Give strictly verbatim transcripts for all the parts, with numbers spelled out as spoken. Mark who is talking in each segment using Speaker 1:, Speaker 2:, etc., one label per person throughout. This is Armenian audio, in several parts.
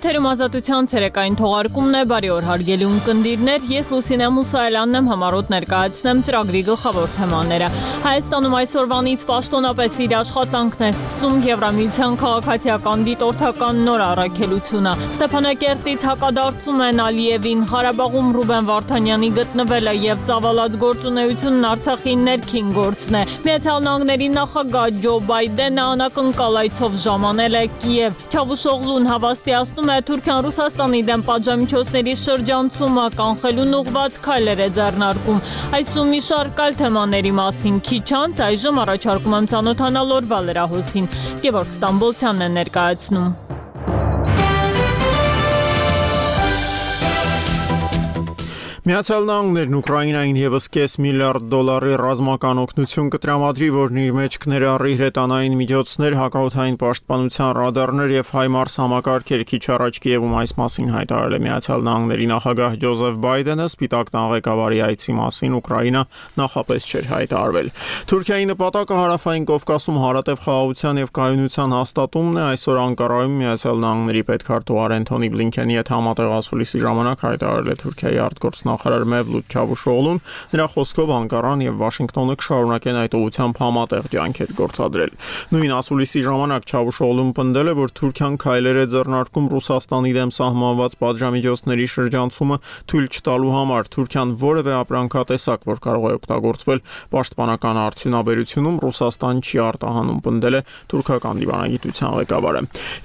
Speaker 1: Եթերում ազատության ցերեկային թողարկումն է, բարի օր հարգելի ունկնդիրներ, ես Լուսինե Մուսայելյանն եմ, համառոտ ներկայացնեմ ծրագրի գլխավոր թեմաները։ Հայաստանում այսօրվանից պաշտոնապես իր աշխատանքն է սկսում Եվրամիության քաղաքացիական դիտորդական նոր առաքելությունը։ Ստեփանակերտից հակադարձում են Ալիևին, Ղարաբաղում Ռուբեն Վարդանյանի գտնվելը եւ ծավալած գործունեությունն Արցախի ներքին գործն է։ Միացյալ Նահանգների նախագահ Ջո Բայդենը անակնկալ այցով ժամանել է Կիև։ Չավուշօղլուն հավաստիացնում է Թուրքիան Ռուսաստանի դեմ պատժամիջոցների շրջանցումը կանխելուն ուղղված քայլեր է ձեռնարկում։ Այսում մի շարք այլ թեմաների մասին քիչ անց այժմ առաջարկում եմ ծանոթանալ օրվա լրահոսին։ Գևորգ Ստամբոլցյանն է ներկայացնում։
Speaker 2: Միացյալ Նահանգներն Ուկրաինային եւս կես միլիարդ դոլարի ռազմական օգնություն կտրամադրի, որն իր մեջ կներառի հրետանային միջոցներ, հակաօդային պաշտպանության ռադարներ եւ HIMARS համակարգեր։ Քիչ առաջ Կիևում այս մասին հայտարարել է Միացյալ Նահանգների նախագահ Ջոզեֆ Բայդենը, Սպիտակ տան ղեկավարի այցի մասին Ուկրաինա նախապես չէր հայտարարվել։ Թուրքիայի նպատակը հարավային Կովկասում հարատև խաղաղության եւ կայունության հաստատումն է։ Այսօր Անկարայում Միացյալ Նահանգների պետքարտուղար Անթոնի Բլինքենի հետ համատեղ ասուլիսի ժամանակ հայտարարել է Թուրքիայի արտգործնախարար նախարար Մևլութ Չավուշօղլուն, նրա խոսքով Անկարան եւ Վաշինգտոնը կշարունակեն այդ ուղղությամբ համատեղ ջանքեր գործադրել։ Նույն ասուլիսի ժամանակ Չավուշօղլուն պնդել է, որ Թուրքիան քայլեր է ձեռնարկում Ռուսաստանի դեմ սահմանված պատժամիջոցների շրջանցումը թույլ չտալու համար։ Թուրքիան որևէ ապրանքատեսակ, որ կարող է օգտագործվել պաշտպանական արդյունաբերությունում, Ռուսաստան չի արտահանում, պնդել է թուրքական դիվանագիտության ղեկավարը։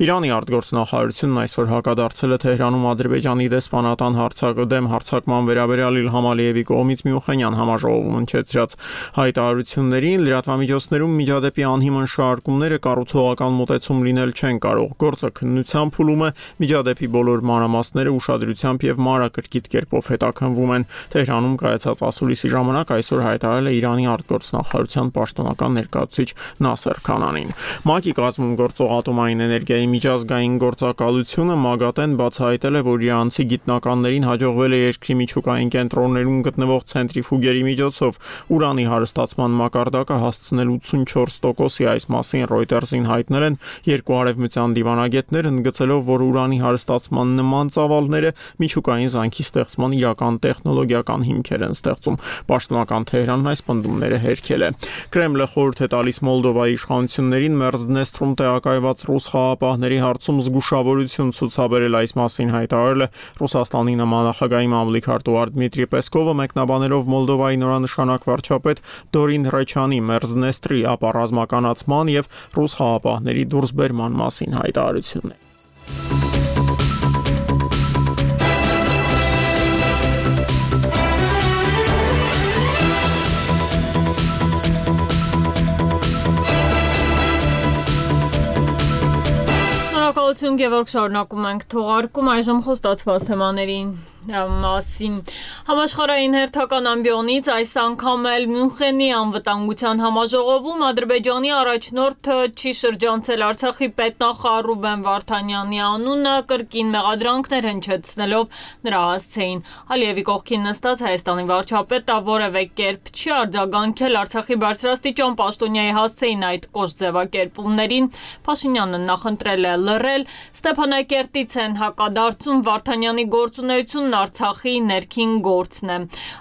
Speaker 2: Իրանի արտգործնախարարությունն այսօր հակադարձել է Թեհրանում Ադրբեջանի դեսպանատան հարցակդեմ հարցակման վերաբերյալ Իլհամ Ալիևի կողմից Մյունխենյան համաժողովում հնչեցրած հայտարարություններին։ Լրատվամիջոցներում միջադեպի անհիմն շարժումները կառուցողական մոտեցում լինել չեն կարող։ Գործը քննության փուլում է, միջադեպի բոլոր մանրամասները ուշադրությամբ եւ մանրակրկիտ կերպով հետաքննվում են։ Թեհրանում կայացած ասուլիսի ժամանակ այսօր հայտարարել է Իրանի արտգործնախարարության պաշտոնական ներկայացուցիչ Նասեր Քանանին։ ՄԱԿ-ի կազմում գործող ատոմային էներգիայի միջազգային գործակալությունը ՄԱԳԱՏԵ-ն բացահայտել է, որ իրանցի գիտնականներին հաջողվել է երկրի միջուկային կենտրոններում գտնվող ցենտրիֆուգերի միջոցով ուրանի հարստացման մակարդակը հասցնել ութսունչորս տոկոսի։ Այս մասին Reuters-ին հայտնել են երկու արևմտյան դիվանագետներ, ընդգծելով, որ ուրանի հարստացման նման ծավալները միջուկային զանգի ստեղծման իրական տեխնոլոգիական հիմքեր են ստեղծում։ Պաշտոնական Թեհրանն այս պնդումները հերքել է։ Կրեմլը խորհուրդ է տալիս Մոլդովայի իշխանություններին Մերձդնեստրում տեղակայված ռուս խաղաղապահների հարցում զգուշավորություն ցուցաբերել։ Այս մասին հայտարարել է Ռուսաստանի նմանախագահի մամլիք արտուղար Դմիտրի Պեսկովը, մեկնաբանելով Մոլդովայի նորանշանակ վարչապետ Դորին Ռեչյանի Մերձդնեստրի ապառազմականացման եւ ռուս խաղաղապահների դուրսբերման մասին հայտարարությունն է։
Speaker 1: Շնորհակալություն Գևորգ, շարունակում ենք թողարկում այժմ խոստացված թեմաներին մասին։ Համաշխարհային հերթական ամբիոնից այս անգամ էլ Մյունխենի անվտանգության համաժողովում Ադրբեջանի առաջնորդը չի շրջանցել Արցախի պետնախարար Ռուբեն Վարդանյանի անունը, կրկին մեղադրանքներ հնչեցնելով նրա հասցեին։ Ալիևի կողքին նստած Հայաստանի վարչապետը որևէ կերպ չի արձագանքել Արցախի բարձրաստիճան պաշտոնյայի հասցեին այդ կոշտ ձևակերպումներին։ Փաշինյանը նախընտրել է լռել։ Ստեփանակերտից են հակադարձում Վարդանյանի գործունեությունն Արցախի ներքին գործն է։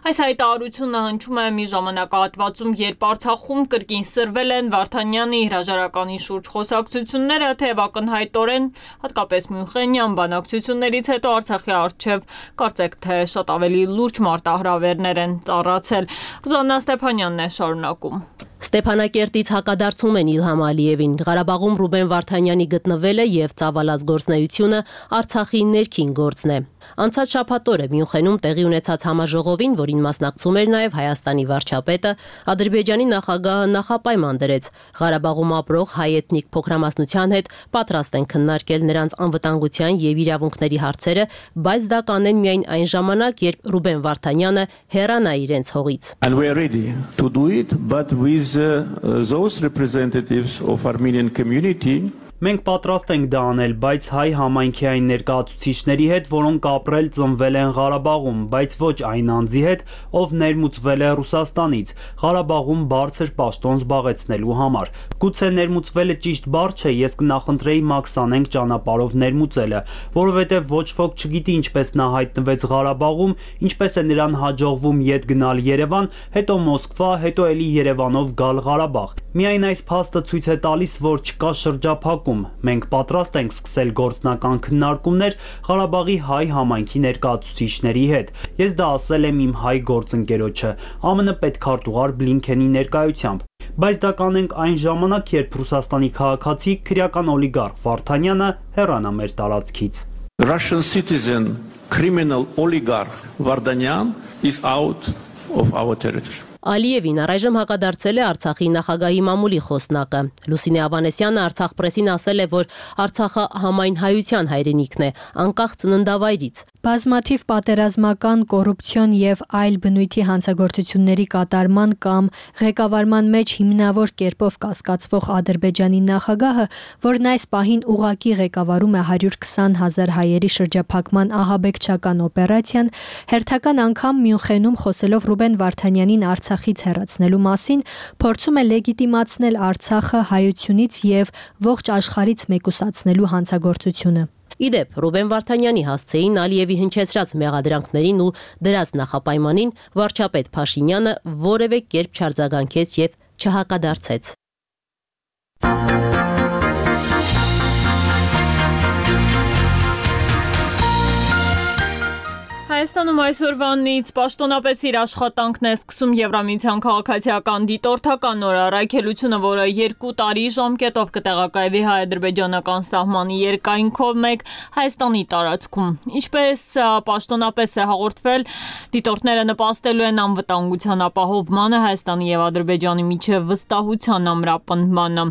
Speaker 1: Այս հայտարարությունը հնչում է մի ժամանակահատվածում, երբ Արցախում կրկին սրվել են Վարդանյանի հրաժարականի շուրջ խոսակցությունները, թեև ակնհայտորեն, հատկապես Մյունխենյան բանակցություններից հետո Արցախի առջև կարծեք թե շատ ավելի լուրջ մարտահրավերներ են ծառացել։ Ռուզաննա Ստեփանյանն է շարունակում։
Speaker 3: Ստեփանակերտից հակադարձում են Իլհամ Ալիևին։ Ղարաբաղում Ռուբեն Վարդանյանի գտնվելը եւ ծավալած գործնեությունը Արցախի ներքին գործն է։ Անցած շաբաթ օրը Մյունխենում տեղի ունեցած համաժողովին, որին մասնակցում էր նաև Հայաստանի վարչապետը, Ադրբեջանի նախագահը նախապայման դրեց Ղարաբաղում ապրող հայ էթնիկ փոքրամասնության հետ պատրաստ են քննարկել նրանց անվտանգության եւ իրավունքների հարցերը, բայց դա կանեն միայն այն ժամանակ, երբ Ռուբեն Վարդանյանը հեռանա իրենց հողից։
Speaker 4: And we are ready to do it, but with uh, those representatives of Armenian community Մենք պատրաստ ենք դա անել, բայց հայ համայնքի այն ներկայացուցիչների հետ, որոնք ապրել ծնվել են Ղարաբաղում, բայց ոչ այն անձի հետ, ով ներմուծվել է Ռուսաստանից, Ղարաբաղում բարձր պաշտոն զբաղեցնելու համար։ Գուցե ներմուծվելը ճիշտ բառ չէ, ես կնախընտրեի Մաքս անենք ճանապարհով ներմուծելը, որովհետև ոչ ոք չգիտի ինչպես նա հայտնվեց Ղարաբաղում, ինչպես է նրան հաջողվում ետ գնալ Երևան, հետո Մոսկվա, հետո էլի Երևանով գալ Ղարաբաղ։ Միայն այս փաստը ցույց է տալիս, որ չկա շրջափակում։ Մենք պատրաստ ենք սկսել գործնական քննարկումներ Ղարաբաղի հայ համայնքի ներկայացուցիչների հետ։ Ես դա ասել եմ իմ հայ գործընկերոջը, ԱՄՆ պետքարտուղար Բլինքենի ներկայությամբ։ Բայց դա կանենք այն ժամանակ, երբ Ռուսաստանի քաղաքացի քրեական օլիգարխ Վարդանյանը հեռանա մեր տարածքից։
Speaker 5: Russian citizen criminal oligarch Vardanyan is out of our territory.
Speaker 3: Ալիևին առայժմ հակադարձել է Արցախի նախագահի մամուլի խոսնակը։ Լուսինե Ավանեսյանը Արցախ պրեսին ասել է, որ Արցախը համայն հայության հայրենիքն է, անկախ ծննդավայրից։
Speaker 6: Բազմաթիվ պատերազմական, կոռուպցիոն եւ այլ բնույթի հանցագործությունների կատարման կամ ղեկավարման մեջ հիմնավոր կերպով կասկածվող Ադրբեջանի նախագահը, որն այս պահին ուղակի ղեկավարում է հարյուր քսան հազար հայերի շրջափակման ահաբեկչական օպերացիան, հերթական անգամ Մյունխենում խոսելով Ռուբեն Վարդանյանին Արցախից հեռացնելու մասին, փորձում է լեգիտիմացնել Արցախը հայությունից եւ ողջ աշխարհից մեկուսացնելու հանցագործությունը։
Speaker 3: Իդեպ, Ռուբեն Վարդանյանի հասցեին Ալիևի հնչեցրած մեղադրանքներին ու դրած նախապայմանին վարչապետ Փաշինյանը որևէ կերպ չարձագանքեց եւ չհակադարձեց։
Speaker 1: Հայաստանում այսօրվանից պաշտոնապես իր աշխատանքն է սկսում Եվրամիության քաղաքացիական դիտորդական նոր առաքելությունը, որը երկու տարի ժամկետով կտեղակայվի հայ-ադրբեջանական սահմանի երկայնքով մեկ Հայաստանի տարածքում։ Ինչպես պաշտոնապես է հաղորդվել, դիտորդները նպաստելու են անվտանգության ապահովմանը Հայաստանի եւ Ադրբեջանի միջև վստահության ամրապնդմանը։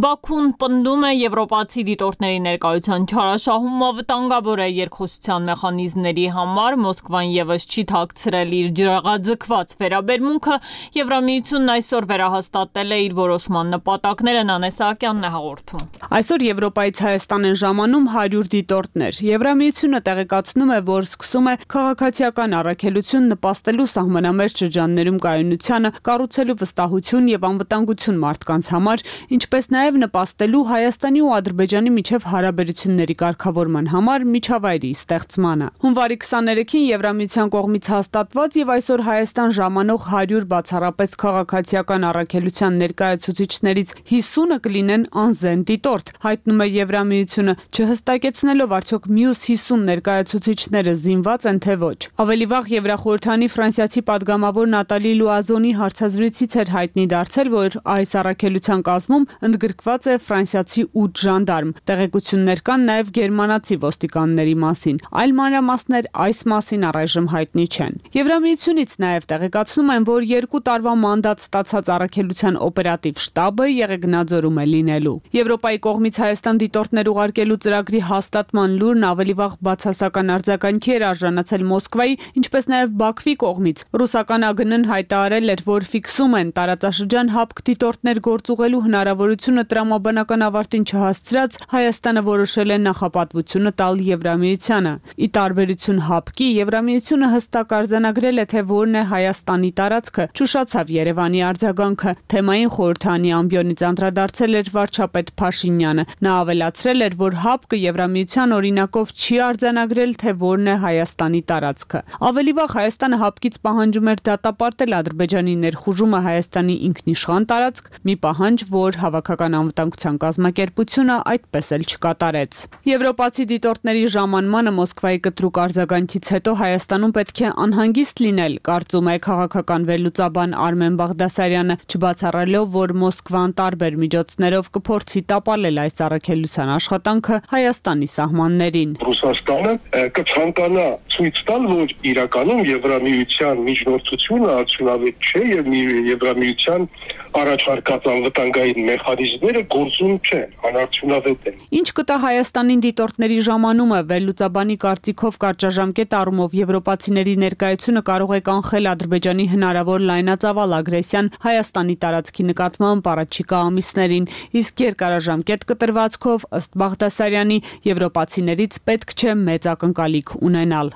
Speaker 1: Բաքուն պնդում է եվրոպացի դիտորդների ներկայության չարաշահումը վտանգավոր է երկխոսության մեխանիզմների համար։ Մոսկվան եւս չի թաքցրել իր ջրաղաձգված վերաբերմունքը, Եվրամիությունն այսօր վերահաստատել է իր որոշման նպատակները, Նանե Սահակյանն է հաղորդում։
Speaker 7: Այսօր Եվրոպայից Հայաստան են ժամանում հարյուր դիտորդներ։ Եվրամիությունը տեղեկացնում է, որ սկսում է քաղաքացիական առաքելություն նպաստելու սահմանամերձ շրջաններում կայունությանը, կառուցելու վստահություն եւ անվտանգություն մարդկանց համար, ինչպես նաեւ նպաստելու Հայաստանի ու Ադրբեջանի միջև հարաբերությունների կարգավորման համար միջավայրի ստեղծմանը։ Հունվարի քսաներեքին Եվրամիության կողմից հաստատված եւ այսօր Հայաստան ժամանող հարյուր բացառապես քաղաքացիական առաքելության ներկայացուցիչներից հիսունը կլինեն անզեն դիտորդ, հայտնում է Եվրամիությունը, չհստակեցնելով արդյոք մյուս հիսուն ներկայացուցիչները զինված են թե ոչ։ Ավելի վաղ Եվրախորհրդանի ֆրանսիացի падգամավոր Նատալի Լուազոնի հարցազրույցից էր հայտնի դարձել, որ այս առաքելության կազմում ընդգրկված է ֆրանսիացի ութ ժանդարմ։ Տեղեկություններ կան նաեւ գերմանացի ոստիկանների մասին։ Այլ մանրամասներ այս մասին առայժմ հայտնի չեն։ Եվրամիությունից նաև տեղեկացնում են, որ երկու տարվա մանդատ ստացած առաքելության օպերատիվ շտաբը Եղեգնաձորում է լինելու։ Եվրոպայի կողմից Հայաստան դիտորդներ ուղարկելու ծրագրի հաստատման լուրն ավելի վաղ բացասական արձագանքի էր արժանացել Մոսկվայի, ինչպես նաև Բաքվի կողմից։ Ռուսական ԱԳՆ-ն հայտարարել էր, որ ֆիքսում են տարածաշրջան հապկ դիտորդներ գործուղելու հնարավորությունը տրամաբանական ավարտին չհասցրած Հայաստանը որոշել է նախապատվությունը տալ Եվրամիությանը։ Ի տարբերություն հապկի, Եվրամիությունը հստակ արձանագրել է, թե որն է Հայաստանի տարածքը, ճուշացավ Երևանի արձագանքը։ Թեմային խորհրդանի ամբիոնից անդրադարձել էր վարչապետ Փաշինյանը։ Նա ավելացրել էր, որ հապկը Եվրամիության օրինակով չի արձանագրել, թե որն է Հայաստանի տարածքը։ Ավելի վաղ Հայաստանը հապկից պահանջում էր դատապարտել Ադրբեջանի ներխուժումը Հայաստանի ինքնիշխան տարածք, մի պահանջ, որ Հավաքական անվտանգության կազմակերպությունը այդպես էլ չկատարեց։ Եվրոպացի դիտորդների ժամանմանը Մոսկվայի կտրուկ արձագանքից հետո Հայաստանում պետք է անհանգիստ լինել, կարծում է քաղաքական վերլուծաբան Արմեն Բաղդասարյանը, չբացառելով, որ Մոսկվան տարբեր միջոցներով կփորձի տապալել այս առաքելության աշխատանքը Հայաստանի սահմաններին։
Speaker 8: Ռուսաստանը կցանկանա ցույց տալ, որ իրականում Եվրամիության միջնորդությունը արդյունավետ չէ եւ Եվրամիության առաջարկած անվտանգային մեխանիզմները գործում չեն, անարդյունավետ են։
Speaker 7: Ինչ կտա Հայաստանին դիտորդների ժամանումը, վերլուծաբանի կարծիքով կարճաժամկետ առումով Եվրոպայի եվրոպացիների ներկայությունը կարող է կանխել Ադրբեջանի հնարավոր լայնածավալ ագրեսիան Հայաստանի տարածքի նկատմամբ առաջիկա ամիսներին, իսկ երկարաժամկետ կտրվածքով, ըստ Բաղդասարյանի, եվրոպացիներից պետք չէ մեծ ակնկալիք ունենալ։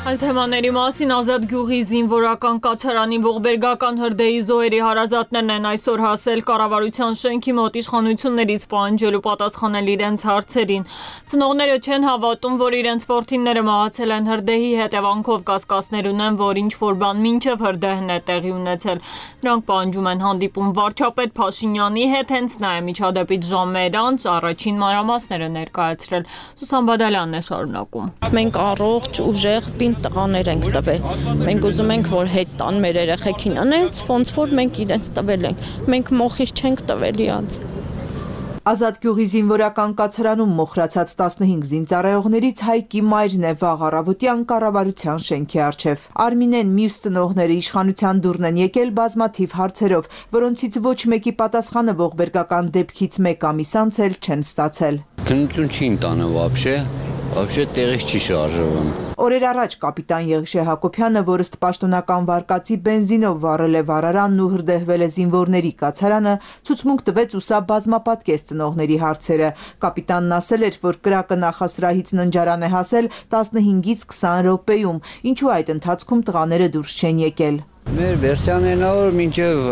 Speaker 1: Այդ թեմաների մասին Ազատ գյուղի զինվորական կացարանի ողբերգական հրդեհի զոհերի հարազատներն են այսօր հասել կառավարության շենքի մոտ իշխանություններից պահանջելու պատասխանել իրենց հարցերին։ Ծնողները չեն հավատում, որ իրենց որդիները մահացել են հրդեհի հետևանքով, կասկածներ ունեն, որ ինչ-որ բան մինչև հրդեհն է տեղի ունեցել։ Նրանք պահանջում են հանդիպում վարչապետ Փաշինյանի հետ, հենց նա է միջադեպից ժամեր անց առաջին մանրամասները ներկայացրել։ Սուսան Բադալյանն է շարունակում։
Speaker 9: Մենք առողջ, ուժեղ, տղաներ ենք տվել։ Մենք ուզում ենք, որ հետ տան մեր երեխեքին անենց, ոնց որ մենք իրենց տվել ենք։ Մենք մոխիր չենք տվել իրանց։
Speaker 10: Ազատ գյուղի զինվորական կացարանում մոխրացած տասնհինգ զինծառայողներից Հայկի մայրն է վաղ առավոտյան կառավարության շենքի առջև։ Արմինեն մյուս ծնողները իշխանության դուրն են եկել բազմաթիվ հարցերով, որոնցից ոչ մեկի պատասխանը ողբերգական դեպքից մեկ ամիս անց էլ չեն ստացել։
Speaker 11: Քննություն չի ընտանը вообще, вообще տեղից չի շարժվում։
Speaker 10: Օրեր առաջ կապիտան Եղիշե Հակոբյանը, որ ըստ պաշտոնական վարկածի բենզինով վառել է վառարանն ու հրդեհվել է զինվորների կացարանը, ցուցմունք տվեց ու սա բազմապատկեց ծնողների հարցերը։ Կապիտանն ասել էր, որ կրակը նախասրահից ննջարան է հասել տասնհինգից քսան րոպեում, ինչու այդ ընթացքում տղաները դուրս չեն եկել։
Speaker 11: Մեր վերսիան են որ մինչև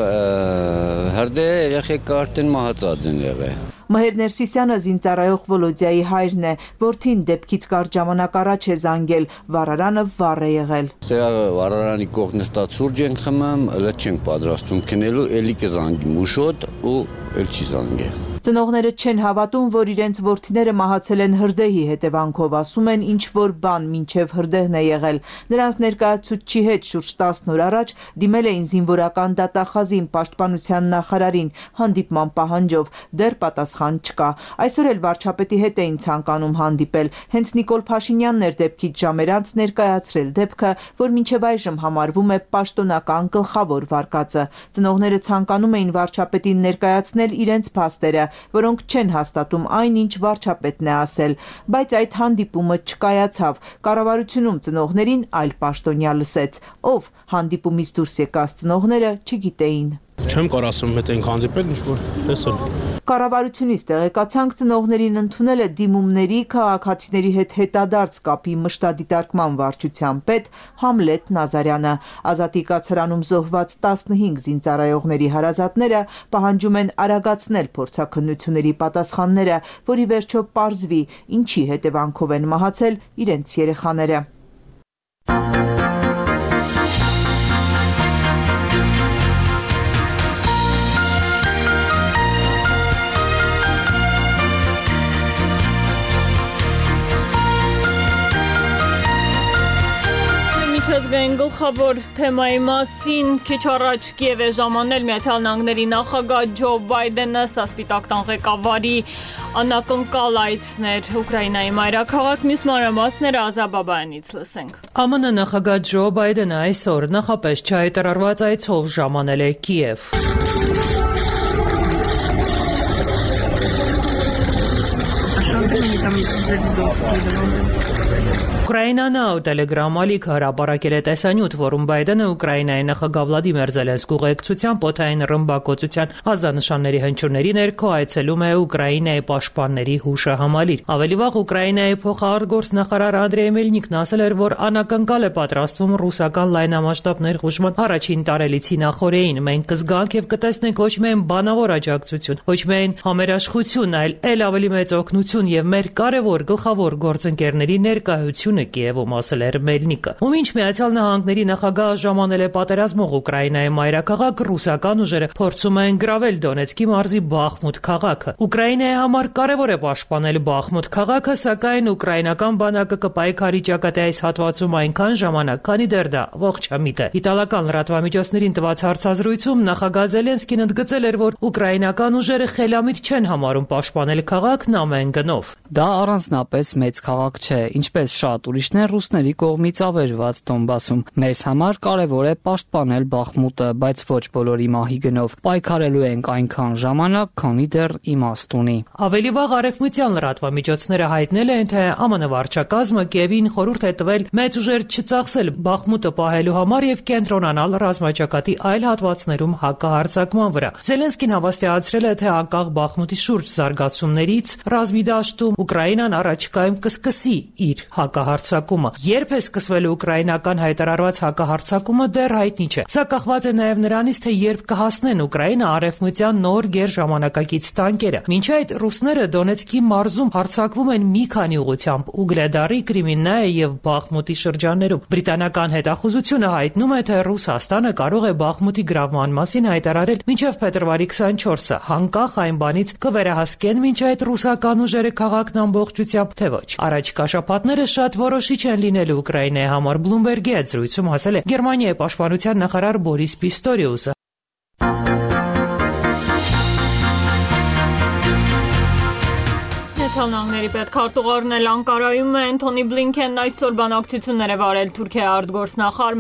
Speaker 11: հրդեհը երեխեքը արդեն մահացած են եղել։
Speaker 10: Մհեր Ներսիսյանը զինծառայող Վոլոդիայի հայրն է, որդին դեպքից կարճ ժամանակ առաջ է զանգել, վառարանը վառ է եղել։
Speaker 11: Սա վառարանի կողքն նստած սուրճ ենք խմում, ըլը չենք պատրաստվում քնելու, էլի կզանգի մուշոտ ու էլ չի զանգել։
Speaker 10: Ծնողները չեն հավատում, որ իրենց որդիները մահացել են հրդեհի հետևանքով, ասում են ինչ որ բան մինչև հրդեհն է եղել։ Նրանց ներկայացուցչի հետ շուրջ տասն օր առաջ դիմել էին զինվորական դատախազին, պաշտպանության նախարարին, հանդիպման պահանջով, դեռ պատասխան չկա։ Այսօր էլ վարչապետի հետ էին ցանկանում հանդիպել։ Հենց Նիկոլ Փաշինյանն էր դեպքից ժամեր անց ներկայացրել դեպքը, որ մինչև այժմ համարվում է պաշտոնական գլխավոր վարկածը։ Ծնողները ցանկանում էին վարչապետին ներկայացնել իրենց փաստերը, որոնք չեն հաստատում այն, ինչ վարչապետն է ասել, բայց այդ հանդիպումը չկայացավ։ Կառավարությունում ծնողներին այլ պաշտոնյա լսեց, ով հանդիպումից դուրս եկած ծնողները չգիտեին։
Speaker 12: Չեմ կարող ասում, հետ ենք հանդիպել, ինչ որ տեսել։
Speaker 10: Կառավարությունից տեղեկացանք ծնողներին ընդունել է դիմումների քաղաքացիների հետ հետադարձ կապի մշտադիտարկման վարչության պետ Համլետ Նազարյանը։ Ազատի կացարանում զոհված տասնհինգ զինծառայողների հարազատները պահանջում են արագացնել փորձաքննությունների պատասխանները, որի վերջո պարզվի, ինչի հետևանքով են մահացել իրենց երեխաները։
Speaker 1: Ազգային գլխավոր թեմայի մասին քիչ առաջ Կիև է ժամանել Միացյալ Նահանգների նախագահ Ջո Բայդենը, սա Սպիտակ տան ղեկավարի անակնկալ այցներ Ուկրաինայի մայրաքաղաք, մյուս մանրամասները Ազատ Բաբայանից լսենք։
Speaker 13: ԱՄՆ նախագահ Ջո Բայդենը այսօր նախապես չհայտարարված այցով ժամանել է Կիև։ Ukraina Now Telegram ալիքը հրապարակել է տեսանյութ, որում Բայդենը Ուկրաինայի նախագահ Վլադիմիր Զելենսկու ուղեկցությամբ օդային ռմբակոծության ազդանշանների հնչյունների ներքո այցելում է Ուկրաինայի պաշտպանների հուշահամալիր։ Ավելի վաղ Ուկրաինայի փոխարտգործնախարար Անդրեյ Մելնիկն ասել էր, որ անակնկալ է պատրաստվում ռուսական լայնամասշտաբ ներխուժման առաջին տարելիցի նախօրեին։ Մենք կզգանք եւ կտեսնենք ոչ միայն բանավոր աջակցություն, ոչ միայն համերաշխություն, այլ ել ավելի մեծ օգնություն եւ մեր կարևոր գլխավոր գործընկերների ներկայությունը Կիևում, ասել էր Մելնիկը։ Ում ինչ Միացյալ Նահանգների նախագահը ժամանել է պատերազմող Ուկրաինայի մայրաքաղաք, ռուսական ուժերը փորձում են գրավել Դոնեցկի մարզի Բախմուտ քաղաքը։ Ուկրաինայի համար կարևոր է պաշտպանել Բախմուտ քաղաքը, սակայն ուկրաինական բանակը կպայքարի ճակատի այս հատվածում այնքան ժամանակ, քանի դեռ դա ողջամիտ է։ Իտալական լրատվամիջոցներին տված հարցազրույցում նախագահ Զելենսկին ընդգծել էր, որ ուկրաինական ուժերը խելամիտ չեն համարում պաշտպանել քաղաքն ամեն գնով։
Speaker 14: Դա առանձնապես մեծ քաղաք չէ, ինչպես շատ ուրիշներ ռուսների կողմից ավերված Դոնբասում։ Մեզ համար կարևոր է պաշտպանել Բախմուտը, բայց ոչ բոլորի մահի գնով։ Պայքարելու ենք այնքան ժամանակ, քանի դեռ իմաստ ունի։
Speaker 13: Ավելի վաղ արևմտյան լրատվամիջոցները հայտնել են, թե ԱՄՆ վարչակազմը Կիևին խորհուրդ է տվել մեծ ուժեր չծախսել Բախմուտը պահելու համար եւ կենտրոնանալ ռազմաճակատի այլ հատվածներում հակահարձակման վրա։ Զելենսկին հավաստիացրել է, թե անկախ Բախմուտի շուրջ զարգացումներից ռազմի դաշտում Ուկրաինան առաջիկայում կսկսի իր հակահարձակումը։ Երբ է սկսվելու ուկրաինական հայտարարված հակահարձակումը դեռ հայտնի չէ։ Սա կախված է նաև նրանից, թե երբ կհասնեն Ուկրաինա արևմտյան նոր գերժամանակակից տանկերը։ Մինչ այդ ռուսները Դոնեցկի մարզում հարձակվում են մի քանի ուղղությամբ՝ Ուգլեդարի, Կրիմիննայի եւ Բախմուտի շրջաններում։ Բրիտանական հետախուզությունը հայտնում է, թե Ռուսաստանը կարող է Բախմուտի գրավման մասին հայտարարել մինչև փետրվարի քսանչորսը, անկախ այն բանից կվերահասկեն մինչ այդ ռուսական ուժերը քաղաքն ամբողջությամբ, թե ոչ։ Առաջիկա շաբաթները շատ որոշիչ են լինելու Ուկրաինայի համար։ Բլումբերգի հետ զրույցում ասել է Գերմանիայի պաշտպանության նախարար Բորիս Պիստորիուսը։
Speaker 1: Միացյալ պետքարտուղարն էլ Անկարայում է Անթոնի Բլինքենն այսօր բանակցություններ է վարել Թուրքիայի արտգործնախարար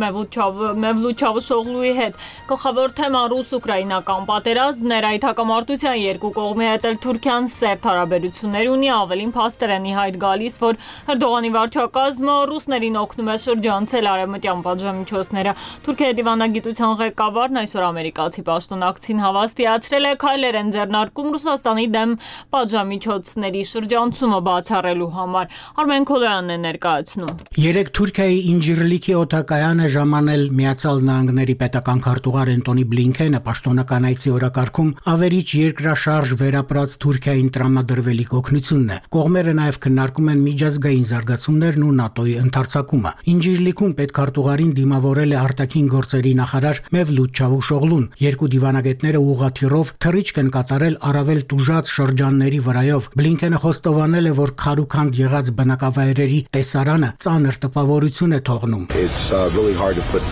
Speaker 1: Մևլութ Չավուշօղլուի հետ։ Գլխավոր թեման ռուս-ուկրաինական պատերազմն էր, այդ հակամարտության երկու կողմի հետ էլ Թուրքիան սերտ հարաբերություններ ունի, ավելին փաստեր են ի հայտ գալիս, որ Էրդողանի վարչակազմը ռուսներին օգնում է շրջանցել արևմտյան պատժամիջոցները։ Թուրքիայի դիվանագիտության ղեկավարն այսօր ամերիկացի պաշտոնակցին հավաստիացրել է քայլեր են ձեռնարկում Ռուսաստանի դեմ պատժամիջոցների շրջանցումը բացառելու համար։ Արմեն Քոլոյանն է ներկայացնում։
Speaker 15: Երեք Թուրքիայի Ինջիրլիքի օդակայանը ժամանել Միացյալ Նահանգների պետական քարտուղար Անթոնի Բլինքենը պաշտոնական այցի օրակարգում ավերիչ երկրաշարժ վերապրած Թուրքիային տրամադրվելիք օգնությունն է։ Կողմերը նաև քննարկում են միջազգային զարգացումներն ու ՆԱՏՕ-ի ընդարձակումը։ Ինջիրլիքում պետքարտուղարին դիմավորել է արտաքին գործերի նախարար Մևլութ Չավուշօղլուն։ Երկու դիվանագետները ուղղաթիռով թռիչք են կատարել առավել տուժած շրջանների վրայով։ Բլինքենը խոստովանել է, որ քարուքանդ եղած բնակավայրերի տեսարանը ծանր տպավորություն է թողնում։
Speaker 16: It's uh, really hard to put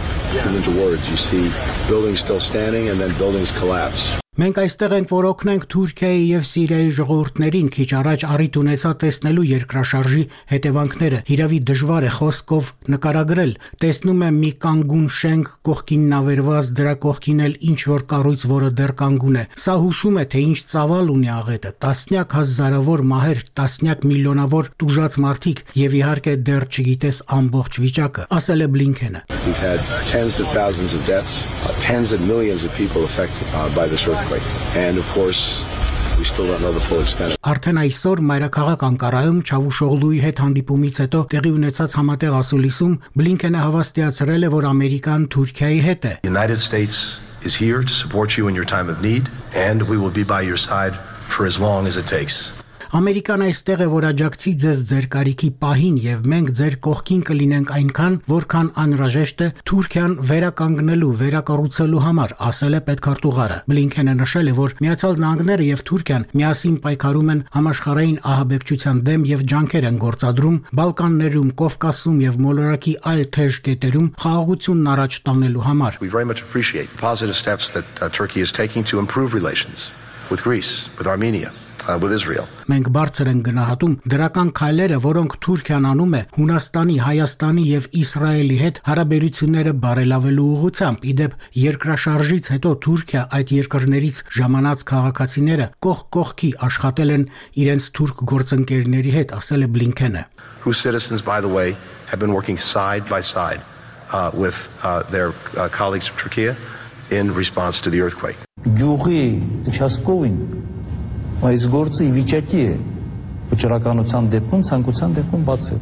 Speaker 16: into words. You see buildings still standing and then buildings collapse.
Speaker 15: Մենք այստեղ ենք, որ օգնենք Թուրքիայի եւ Սիրիայի ժողովուրդներին քիչ առաջ առիթ ունեցա տեսնելու երկրաշարժի հետևանքները։ Հիրավի դժվար է խոսքով նկարագրել։ Տեսնում եմ մի կանգուն շենք, կողքին նավերված, դրա կողքին էլ ինչ որ կառույց, որը դեռ կանգուն է։ Սա հուշում է, թե ինչ ծավալ ունի աղետը։ Տասնյակ հազարավոր մահեր, տասնյակ միլիոնավոր տուժած մարդիկ եւ իհարկե դեռ չգիտես ամբողջ վիճակը, ասել է Բլինքենը։
Speaker 16: We've had tens of thousands of deaths, uh, tens of millions of people affected uh, by this earthquake. And of course, we still don't know the full extent.
Speaker 15: Արդեն այսօր մայրաքաղաք Անկարայում Չավուշօղլուի հետ հանդիպումից հետո տեղի ունեցած համատեղ ասուլիսում Բլինքենը հավաստիացրել է, որ Ամերիկան Թուրքիայի հետ է։
Speaker 16: The United States is here to support you in your time of need, and we will be by your side for as long as it takes.
Speaker 15: Ամերիկան այստեղ է, որ աջակցի ձեզ ձեր կարիքի պահին եւ մենք ձեր կողքին կլինենք այնքան, որքան անհրաժեշտ է Թուրքիան վերականգնելու, վերակառուցելու համար, ասել է պետքարտուղարը։ Բլինքենը նշել է, որ Միացյալ Նահանգները եւ Թուրքիան միասին պայքարում են համաշխարհային ահաբեկչության դեմ եւ ջանքեր են գործադրում Բալկաններում, Կովկասում եւ մոլորակի այլ թեժ կետերում խաղաղությունն առաջ տանելու համար։
Speaker 16: We very much appreciate positive steps that uh, Turkey is taking to improve relations with Greece, with Armenia. With Israel.
Speaker 15: Մենք բարձր ենք գնահատում դրական քայլերը, որոնք Թուրքիան անում է Հունաստանի, Հայաստանի եւ Իսրայելի հետ հարաբերությունները բարելավելու ուղղությամբ։ Իդեպ երկրաշարժից հետո Թուրքիա այդ երկրներից ժամանած քաղաքացիները կողք կողքի աշխատել են իրենց թուրք գործընկերների հետ, ասել է Բլինքենը։
Speaker 16: Whose citizens, by the way, have been working side by side uh, with uh, their uh, colleagues from Turkey in response to the earthquake.
Speaker 17: Գյուղի Չասկովին այս գործը ի վիճակի է վճռականության դեպքում ցանկության դեպքում բացել։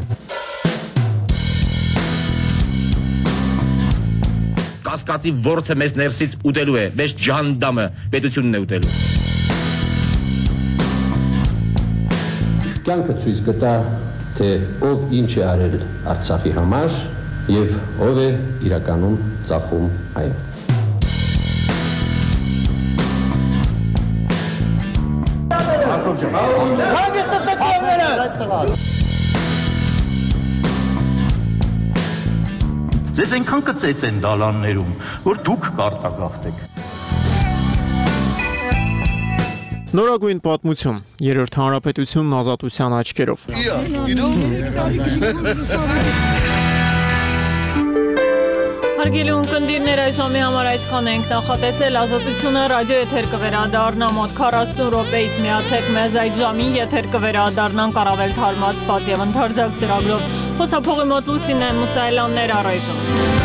Speaker 18: Կասկածի ворթը մեզ ներսից ուտելու է, մեզ ջանդամը պետությունն է ուտելու։
Speaker 19: Կյանքը ցույց կտա, թե ով ինչ է արել Արցախի համար եւ ով է իրականում ծախում այն։
Speaker 20: Ձեզ այնքան կծեց են դալաններում, որ դուք կարտագաղթեք։
Speaker 2: Նորագույն պատմություն, երրորդ հանրապետությունն ազատության աչքերով։
Speaker 1: Հարգելի ունկնդիրներ, այժմի համար այսքան ենք նախատեսել, ազատությունը ռադիո եթեր կվերադառնա մոտ քառասուն րոպեից միացեք մեզ այդ ժամին, եթեր կվերադառնանք առավել թարմացված եւ ընդարձակ ծրագրով։ Խոսափողի մոտ Լուսինեն Մուսայելյաններ առայժմ։